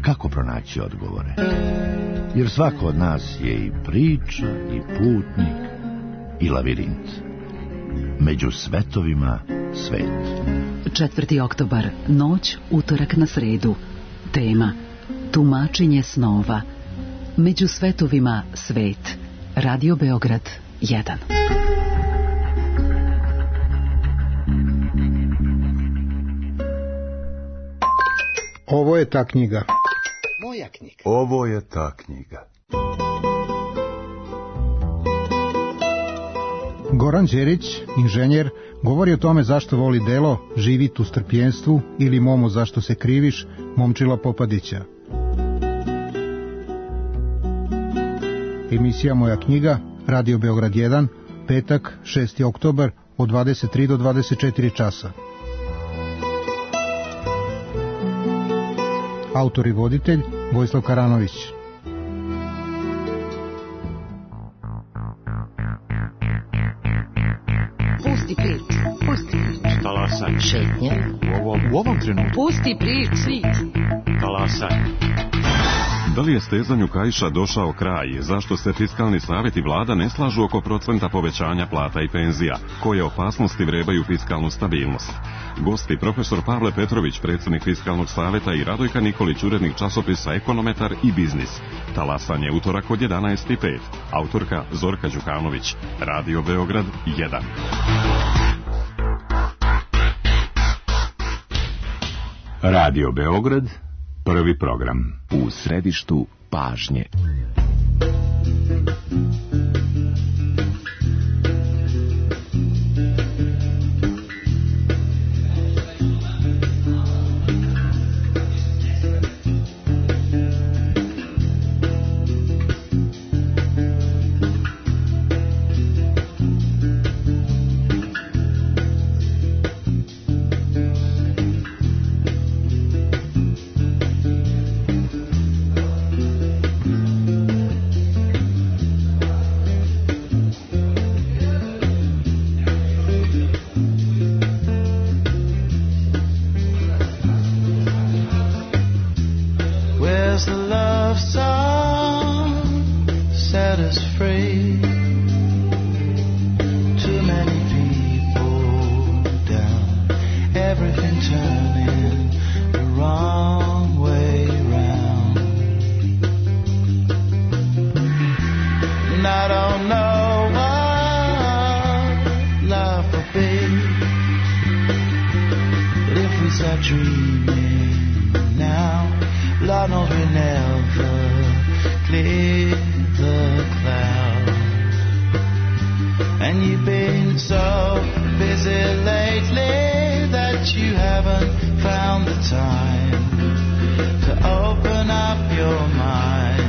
kako pronaći odgovore? Jer svako od nas je i priča, i putnik, i lavirint. Među svetovima svet. četvrti oktobar, noć, utorak na sredu. Tema: tumačenje snova. Među svetovima svet. Radio Beograd jedan. Ovo je ta knjiga. Moja knjiga. Ovo je ta knjiga. Goran Đerić, inženjer, govori o tome zašto voli delo Živit u strpljenstvu ili Momo zašto se kriviš, Momčila Popadića. Emisija Moja knjiga, Radio Beograd jedan, petak, šesti oktobar, od dvadeset tri do dvadeset četiri časa. Autor i voditelj Vojislav Karanović. Pusti priču, pusti priču. Talasaj. Šetnje. U ovom, u ovom trenutku. Pusti priču. Talasaj. Da li je stezanju kaiša došao kraj? Zašto se Fiskalni savjet i vlada ne slažu oko procenta povećanja plata i penzija? Koje opasnosti vrebaju fiskalnu stabilnost? Gosti profesor Pavle Petrović, predsjednik Fiskalnog savjeta, i Radojka Nikolić, urednik časopisa Ekonometar i Biznis. Talasanje utorak od jedanaest i pet. Autorka Zorka Đukanović. Radio Beograd jedan. Radio Beograd, prvi program. U središtu pažnje. Has the love song set us free? Too many people down, everything turning the wrong way round. And I don't know what love will be, but if we start dreaming now, Lord knows we never clear the cloud. And you've been so busy lately that you haven't found the time to open up your mind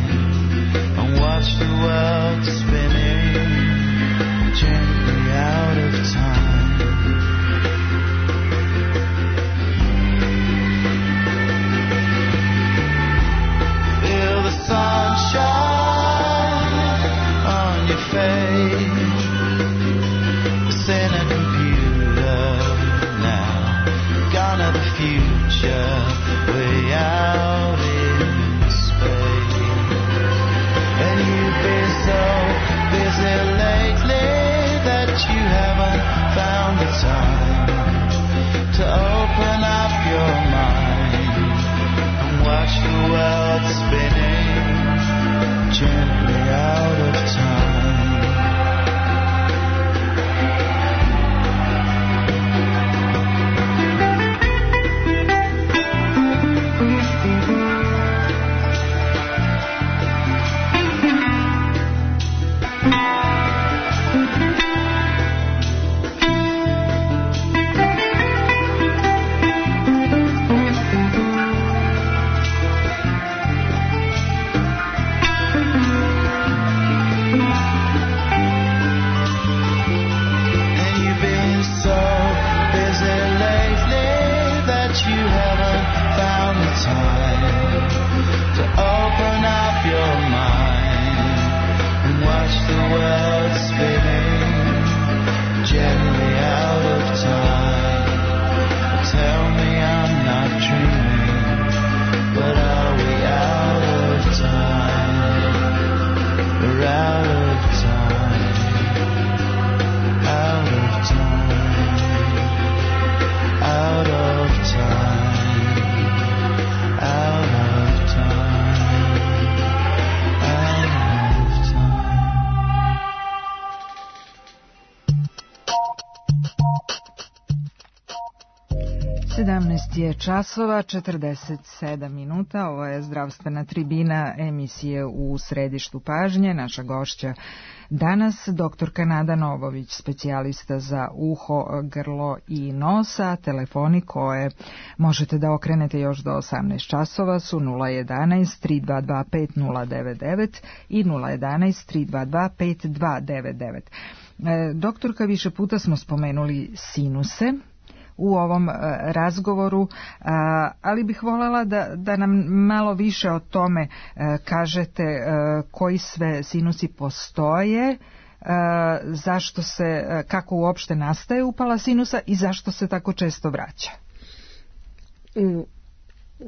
and watch the world spinning gently out of time. Sunshine on your face, it's in a computer now, gone to the future, way out in space. And you've been so busy lately that you haven't found the time to open up your mind and watch the world spinning gently out of time. sedamnaest je časova, četrdeset sedam minuta. Ovo je zdravstvena tribina emisije U središtu pažnje. Naša gošća danas doktorka Nada Novović, specijalista za uho, grlo i nosa. Telefoni koje možete da okrenete još do osamnaest časova su nula jedanaest tri dva dva pet nula devet devet i nula jedanaest tri dva dva pet dva devet devet. Doktorka, više puta smo spomenuli sinuse u ovom razgovoru, ali bih voljela da, da nam malo više o tome kažete koji sve sinusi postoje, zašto se, kako uopšte nastaje upala sinusa i zašto se tako često vraća.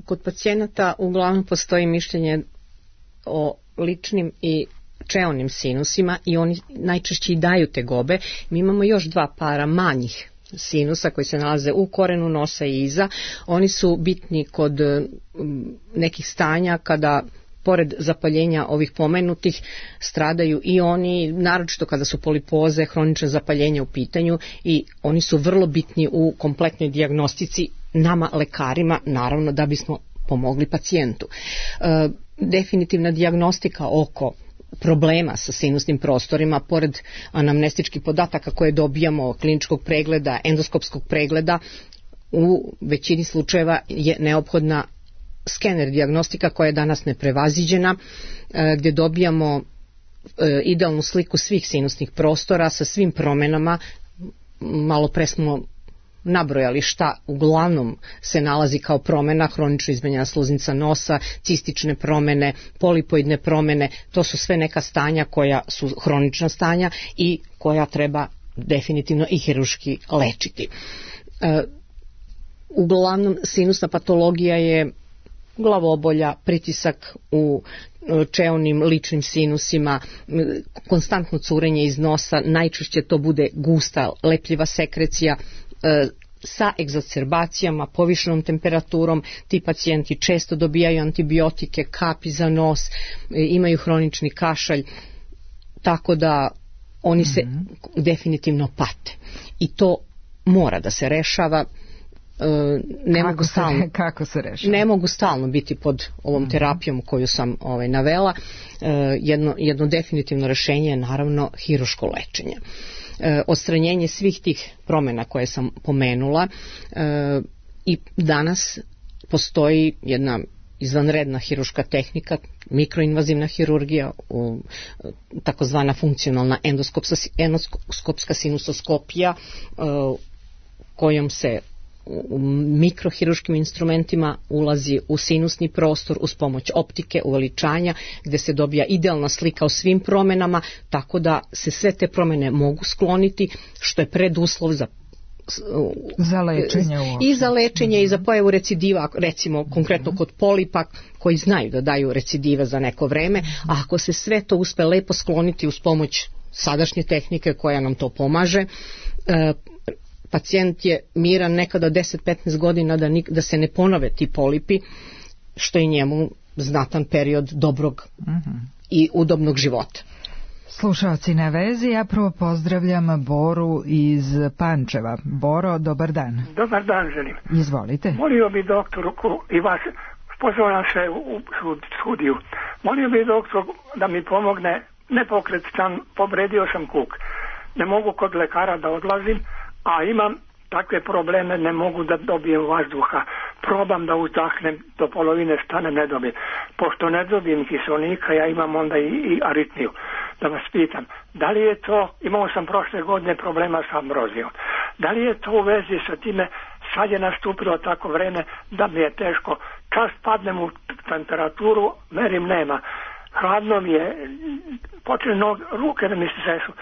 Kod pacijenata uglavnom postoji mišljenje o ličnim i čeonim sinusima i oni najčešće i daju tegobe. Mi imamo još dva para manjih sinusa koji se nalaze u korenu nosa i iza. Oni su bitni kod nekih stanja kada pored zapaljenja ovih pomenutih stradaju i oni, naročito kada su polipoze, hronične zapaljenja u pitanju, i oni su vrlo bitni u kompletnoj dijagnostici nama lekarima, naravno da bismo pomogli pacijentu. E, definitivna dijagnostika oko problema sa sinusnim prostorima, pored anamnestičkih podataka koje dobijamo, kliničkog pregleda, endoskopskog pregleda, u većini slučajeva je neophodna skener dijagnostika koja je danas neprevaziđena, gdje dobijamo idealnu sliku svih sinusnih prostora sa svim promenama. Malo pre smo nabrojali šta uglavnom se nalazi kao promena: hronično izmenjena sluznica nosa, cistične promene, polipoidne promene. To su sve neka stanja koja su hronična stanja i koja treba definitivno i hirurški lečiti. E, uglavnom sinusna patologija je glavobolja, pritisak u čeonim ličnim sinusima, konstantno curenje iz nosa, najčešće to bude gusta, lepljiva sekrecija, sa egzacerbacijama, povišenom temperaturom. Ti pacijenti često dobijaju antibiotike, kapi za nos, imaju hronični kašalj, tako da oni se mm-hmm. definitivno pate. I to mora da se rešava. Ne kako, mogu se, stalno, kako se rešava? Ne mogu stalno biti pod ovom terapijom koju sam ovaj, navela. Jedno, jedno definitivno rešenje je naravno hiruško lečenje. Odstranjenje svih tih promjena koje sam pomenula i danas postoji jedna izvanredna hiruška tehnika, mikroinvazivna hirurgija, takozvana funkcionalna endoskopska sinusoskopija, kojom se u mikrohiruškim instrumentima ulazi u sinusni prostor uz pomoć optike, uveličanja, gdje se dobija idealna slika o svim promjenama, tako da se sve te promjene mogu skloniti, što je preduslov za za lečenje i za lečenje mm-hmm. i za pojavu recidiva, recimo konkretno mm-hmm. kod polipa koji znaju da daju recidive za neko vreme, mm-hmm. a ako se sve to uspe lepo skloniti uz pomoć sadašnje tehnike koja nam to pomaže, e, pacijent je miran nekada deset do petnaest godina da, nik, da se ne ponove ti polipi, što je njemu znatan period dobrog mm-hmm. i udobnog života. Slušalci na vezi, ja prvo pozdravljam Boru iz Pančeva. Boro, dobar dan. Dobar dan želim. Izvolite. Molio bi doktorku i vas, pozvala se u studiju, molio bi doktor da mi pomogne, nepokret stan, povredio sam kuk. Ne mogu kod lekara da odlazim, a imam takve probleme, ne mogu da dobijem vazduha. Probam da uzdahnem, do polovine stane ne dobijem. Pošto ne dobijem kiselnika, ja imam onda i, i aritmiju. Da vas pitam, da li je to, imao sam prošle godine problema sa ambrozijom, da li je to u vezi sa time, sad je nastupilo tako vreme da mi je teško, čas padnem u temperaturu, merim nema, hladno mi je, počne nog, ruke da mi se sešu,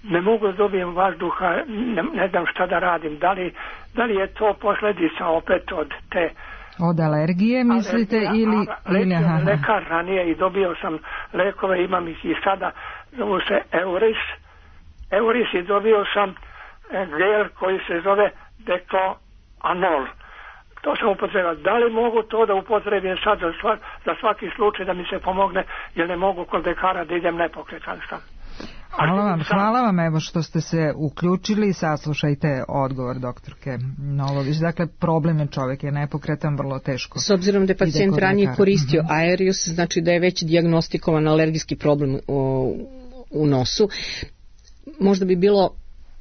ne mogu da dobijem vazduha, ne, ne znam šta da radim, da li, da li je to posljedica opet od te od alergije mislite alergija, ili, ili aha. lekar ranije i dobio sam lekove, imam ih i sada, zovu se Euris Euris i dobio sam gel koji se zove Decloanol. To sam upotrebao. Da li mogu to da upotrebim sad za, sva, za svaki slučaj da mi se pomogne, jer ne mogu kod lekara da idem nepokretan sam. Hvala vam, hvala vam evo što ste se uključili i saslušajte odgovor doktorke Nolović. Dakle, problem je čovjek je nepokretan, vrlo teško. S obzirom da je pacijent ranije koristio uh-huh. Aerius, znači da je već dijagnostikovan alergijski problem u, u nosu. Možda bi bilo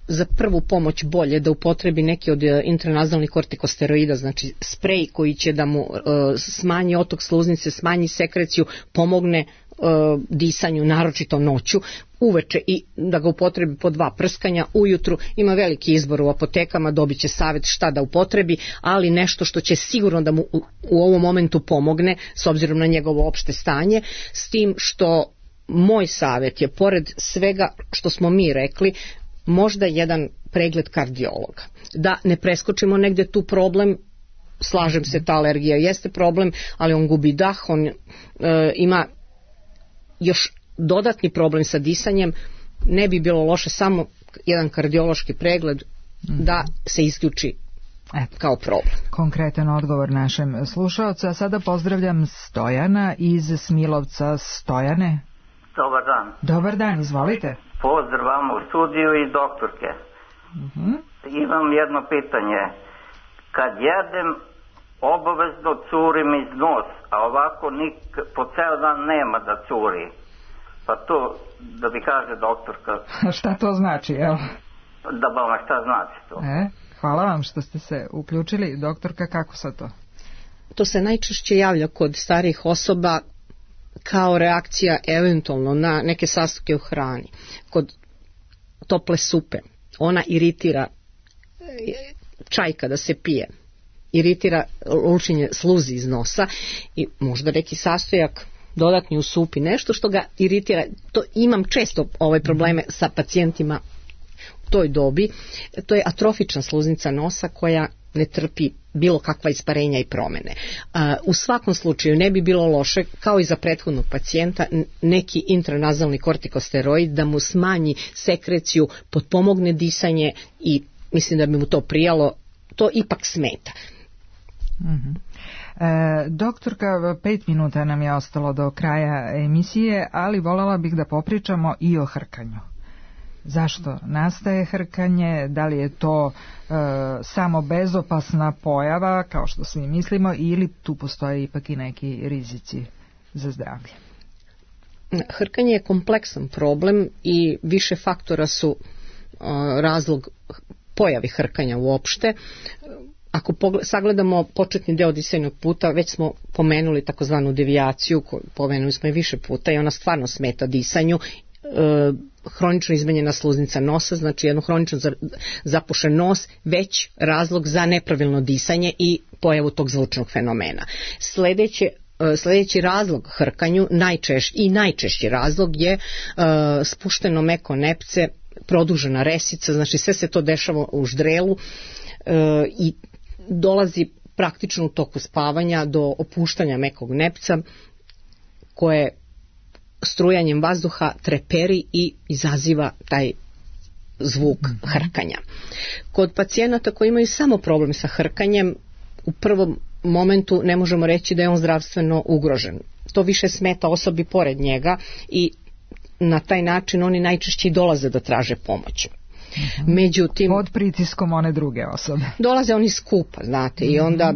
za prvu pomoć bolje da upotrebi neki od intranazalnih kortikosteroida, znači sprej koji će da mu uh, smanji otok sluznice, smanji sekreciju, pomogne uh, disanju, naročito noću, uveče i da ga upotrebi po dva prskanja, ujutru ima veliki izbor u apotekama, dobit će savjet šta da upotrebi, ali nešto što će sigurno da mu u, u ovom momentu pomogne s obzirom na njegovo opšte stanje, s tim što moj savjet je, pored svega što smo mi rekli, možda jedan pregled kardiologa. Da ne preskočimo negdje tu problem, slažem se, ta alergija jeste problem, ali on gubi dah, on e, ima još dodatni problem sa disanjem, ne bi bilo loše samo jedan kardiološki pregled da se isključi Eto, kao problem. Konkretan odgovor našem slušaocu, a sada pozdravljam Stojana iz Smilovca. Stojane. Dobar dan. Dobar dan, izvolite. Pozdrav vam u studiju i doktorke. Uh-huh. Imam jedno pitanje. Kad jedem, obavezno curim iz nos, a ovako nik, po ceo dan nema da curi. Pa to, da bi kaže doktorka... Šta to znači, evo? Da vam šta znači to. E, hvala vam što ste se uključili. Doktorka, kako sa to? To se najčešće javlja kod starijih osoba kao reakcija eventualno na neke sastojke u hrani. Kod tople supe ona iritira, čaj kada se pije iritira lučenje sluzi iz nosa i možda neki sastojak dodatni u supi, nešto što ga iritira. To imam često ove probleme sa pacijentima u toj dobi. To je atrofična sluznica nosa koja ne trpi bilo kakva isparenja i promene. U svakom slučaju ne bi bilo loše, kao i za prethodnog pacijenta, neki intranazalni kortikosteroid da mu smanji sekreciju, potpomogne disanje i mislim da bi mu to prijalo, to ipak smeta. Mm-hmm. E, doktorka, pet minuta nam je ostalo do kraja emisije, ali voljela bih da popričamo i o hrkanju. Zašto nastaje hrkanje, da li je to e, samo bezopasna pojava, kao što svi mislimo, ili tu postoje ipak i neki rizici za zdravlje? Hrkanje je kompleksan problem i više faktora su e, razlog pojavi hrkanja uopšte. Ako pogled, sagledamo početni deo disajnog puta, već smo pomenuli takozvanu devijaciju, koju pomenuli smo je više puta i ona stvarno smeta disanju. E, hronično izmenjena sluznica nosa, znači jedno hronično zapušen nos, već razlog za nepravilno disanje i pojavu tog zvučnog fenomena. Sledeće Sljedeći razlog hrkanju, najčešći i najčešći razlog je uh, spušteno meko nepce, produžena resica, znači sve se to dešava u ždrelu uh, i dolazi praktično u toku spavanja do opuštanja mekog nepca koje strujanjem vazduha treperi i izaziva taj zvuk hrkanja. Kod pacijenata koji imaju samo problem sa hrkanjem, u prvom momentu ne možemo reći da je on zdravstveno ugrožen. To više smeta osobi pored njega i na taj način oni najčešće dolaze da traže pomoć. Mm-hmm. Međutim, pod pritiskom one druge osobe. Dolaze oni skupa, znate, mm-hmm. i onda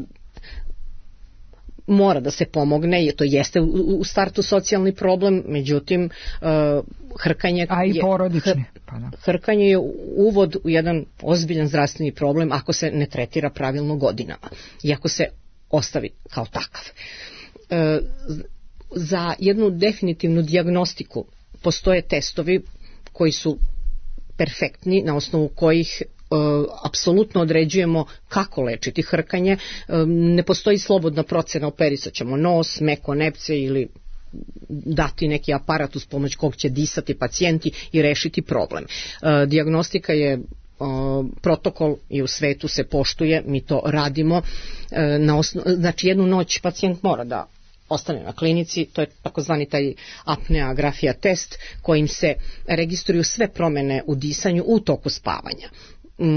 mora da se pomogne, to jeste u startu socijalni problem, međutim uh, hrkanje a i porodični. Je, pa da. Hrkanje je uvod u jedan ozbiljan zdravstveni problem ako se ne tretira pravilno godinama i ako se ostavi kao takav. Uh, za jednu definitivnu dijagnostiku postoje testovi koji su perfektni, na osnovu kojih Uh, apsolutno određujemo kako lečiti hrkanje. Uh, ne postoji slobodna procena, operisat ćemo nos, meko nepce ili dati neki aparat uz pomoć kog će disati pacijenti i rešiti problem. Uh, dijagnostika je uh, protokol i u svetu se poštuje, mi to radimo. Uh, na osno, znači jednu noć pacijent mora da ostane na klinici, to je takozvani taj apneografija test kojim se registruju sve promene u disanju u toku spavanja.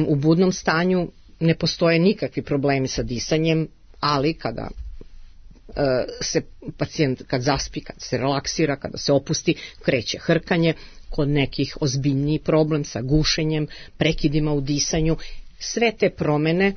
U budnom stanju ne postoje nikakvi problemi sa disanjem, ali kada e, se pacijent kad zaspi, kad se relaksira, kada se opusti, kreće hrkanje, kod nekih ozbiljniji problem sa gušenjem, prekidima u disanju. Sve te promene e,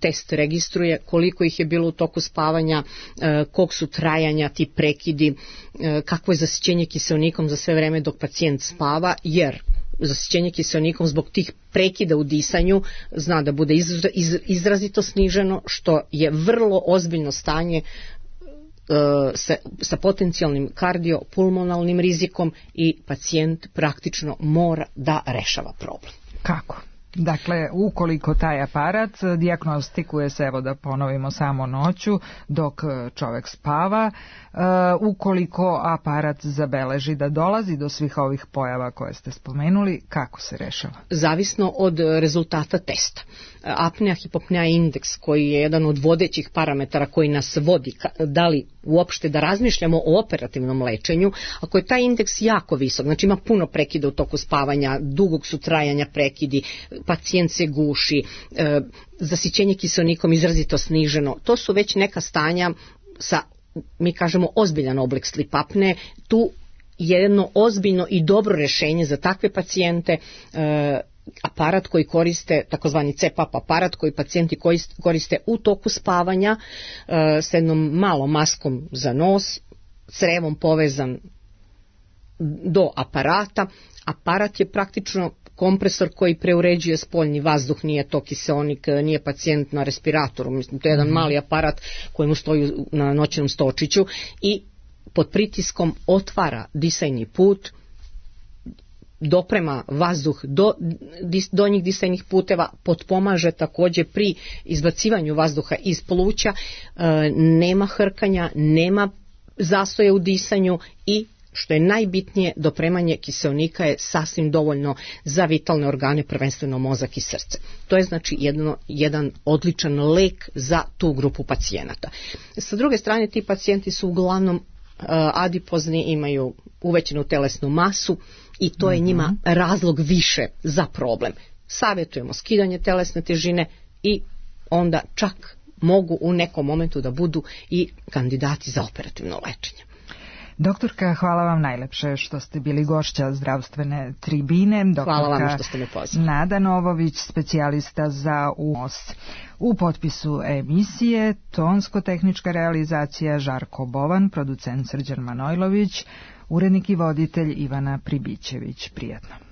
test registruje, koliko ih je bilo u toku spavanja, e, kog su trajanja ti prekidi, e, kakvo je zasićenje kiseonikom za sve vreme dok pacijent spava, jer zasićenje kiseonikom zbog tih prekida u disanju zna da bude izra, iz, izrazito sniženo, što je vrlo ozbiljno stanje uh, sa, sa potencijalnim kardiopulmonalnim rizikom i pacijent praktično mora da rešava problem. Kako? Dakle, ukoliko taj aparat dijagnostikuje se, evo da ponovimo, samo noću dok čovek spava, uh, ukoliko aparat zabeleži da dolazi do svih ovih pojava koje ste spomenuli, kako se rešava? Zavisno od rezultata testa. Apnea hipopnea indeks, koji je jedan od vodećih parametara koji nas vodi, da li uopšte da razmišljamo o operativnom lečenju, ako je taj indeks jako visok, znači ima puno prekida u toku spavanja, dugog su trajanja prekidi, pacijent se guši, e, zasićenje kiseonikom izrazito sniženo, to su već neka stanja sa, mi kažemo, ozbiljan oblik sleep apne. Tu je jedno ozbiljno i dobro rešenje za takve pacijente, e, aparat koji koriste, takozvani C PAP aparat koji pacijenti koriste u toku spavanja e, s jednom malom maskom za nos, crevom povezan do aparata. Aparat je praktično kompresor koji preuređuje spoljni vazduh, nije to kiseonik, nije pacijent na respiratoru, mislim, to je jedan mali aparat koji mu stoji na noćnom stočiću i pod pritiskom otvara disajni put, doprema vazduh do donjih disajnih puteva, potpomaže takođe pri izbacivanju vazduha iz pluća, e, nema hrkanja, nema zastoja u disanju i što je najbitnije, dopremanje kiseonika je sasvim dovoljno za vitalne organe, prvenstveno mozak i srce. To je znači jedno, jedan odličan lek za tu grupu pacijenata. Sa druge strane, ti pacijenti su uglavnom uh, adipozni, imaju uvećenu telesnu masu i to je njima razlog više za problem. Savjetujemo skidanje telesne težine i onda čak mogu u nekom momentu da budu i kandidati za operativno lečenje. Doktorka, hvala vam najlepše što ste bili gošća zdravstvene tribine. Doktorka hvala vam što ste me pozvali. Nada Novović, specijalista za U O S. U potpisu emisije tonsko-tehnička realizacija Žarko Bovan, producent Srđan Manojlović, urednik i voditelj Ivana Pribićević. Prijatno.